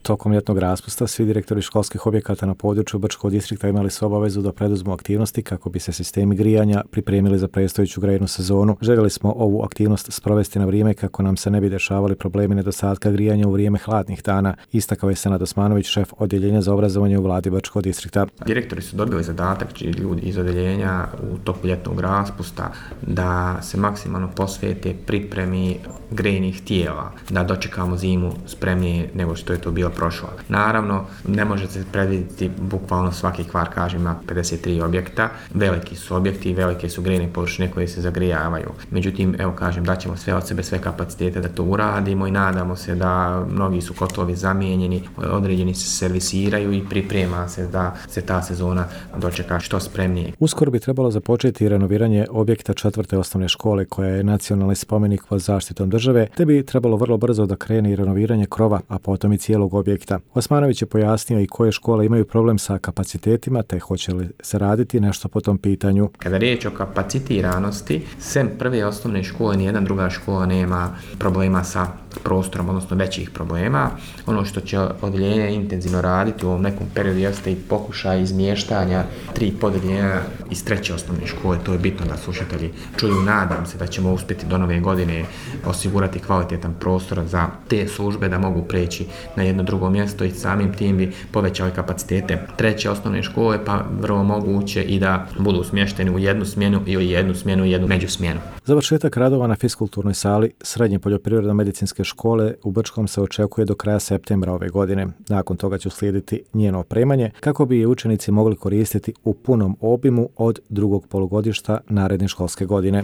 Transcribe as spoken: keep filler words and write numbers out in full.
Tokom ljetnog raspusta svi direktori školskih objekata na području Brčkog distrikta imali su obavezu da preduzmu aktivnosti kako bi se sistemi grijanja pripremili za predstojeću grejnu sezonu. Željeli smo ovu aktivnost sprovesti na vrijeme kako nam se ne bi dešavali problemi nedostatka grijanja u vrijeme hladnih dana, istakao je Senad Osmanović, šef odjeljenja za obrazovanje u vladi Brčkog distrikta. Direktori su dobili zadatak, ljudi iz odjeljenja u toku ljetnog raspusta, da se maksimalno posvete pripremi grejnih tijela, da dočekamo zimu spremnije nego što je to bilo prošlo. Naravno, ne može se predvidjeti bukvalno svaki kvar, kažem, ima pedeset tri objekta, veliki su objekti i velike su grejne površine koje se zagrijavaju. Međutim, evo kažem, daćemo sve od sebe, sve kapacitete da to uradimo i nadamo se da mnogi su kotlovi zamijenjeni, određeni se servisiraju i priprema se da se ta sezona dočeka što spremnije. Uskoro bi trebalo započeti renoviranje objekta četvrte osnovne škole koja je nacionalni spomenik pod zaštitom države, te bi trebalo vrlo brzo da krene i renoviranje krova, a potom i cijelog objekta. Osmanović je pojasnio i koje škole imaju problem sa kapacitetima, te hoće li se raditi nešto po tom pitanju. Kada riječ o kapacitiranosti, sem prve osnovne škole, nijedna druga škola nema problema sa prostorom, odnosno većih problema. Ono što će odjeljenje intenzivno raditi u ovom nekom periodu jeste i pokušaj izmještanja tri podjeljenja iz treće osnovne škole. To je bitno da slušatelji čuju. Nadam se da ćemo uspjeti do nove godine osigurati kvalitetan prostor za te službe da mogu preći na jedno drugo mjesto i samim tim bi povećali kapacitete treće osnovne škole, pa vrlo moguće i da budu smješteni u jednu smjenu ili jednu smjenu i jednu međusmjenu. Završetak radova na fiskulturnoj sali Srednje poljoprivredno-medicinske škole u Brčkom se očekuje do kraja septembra ove godine. Nakon toga će uslijediti njeno opremanje kako bi je učenici mogli koristiti u punom obimu od drugog polugodišta naredne školske godine.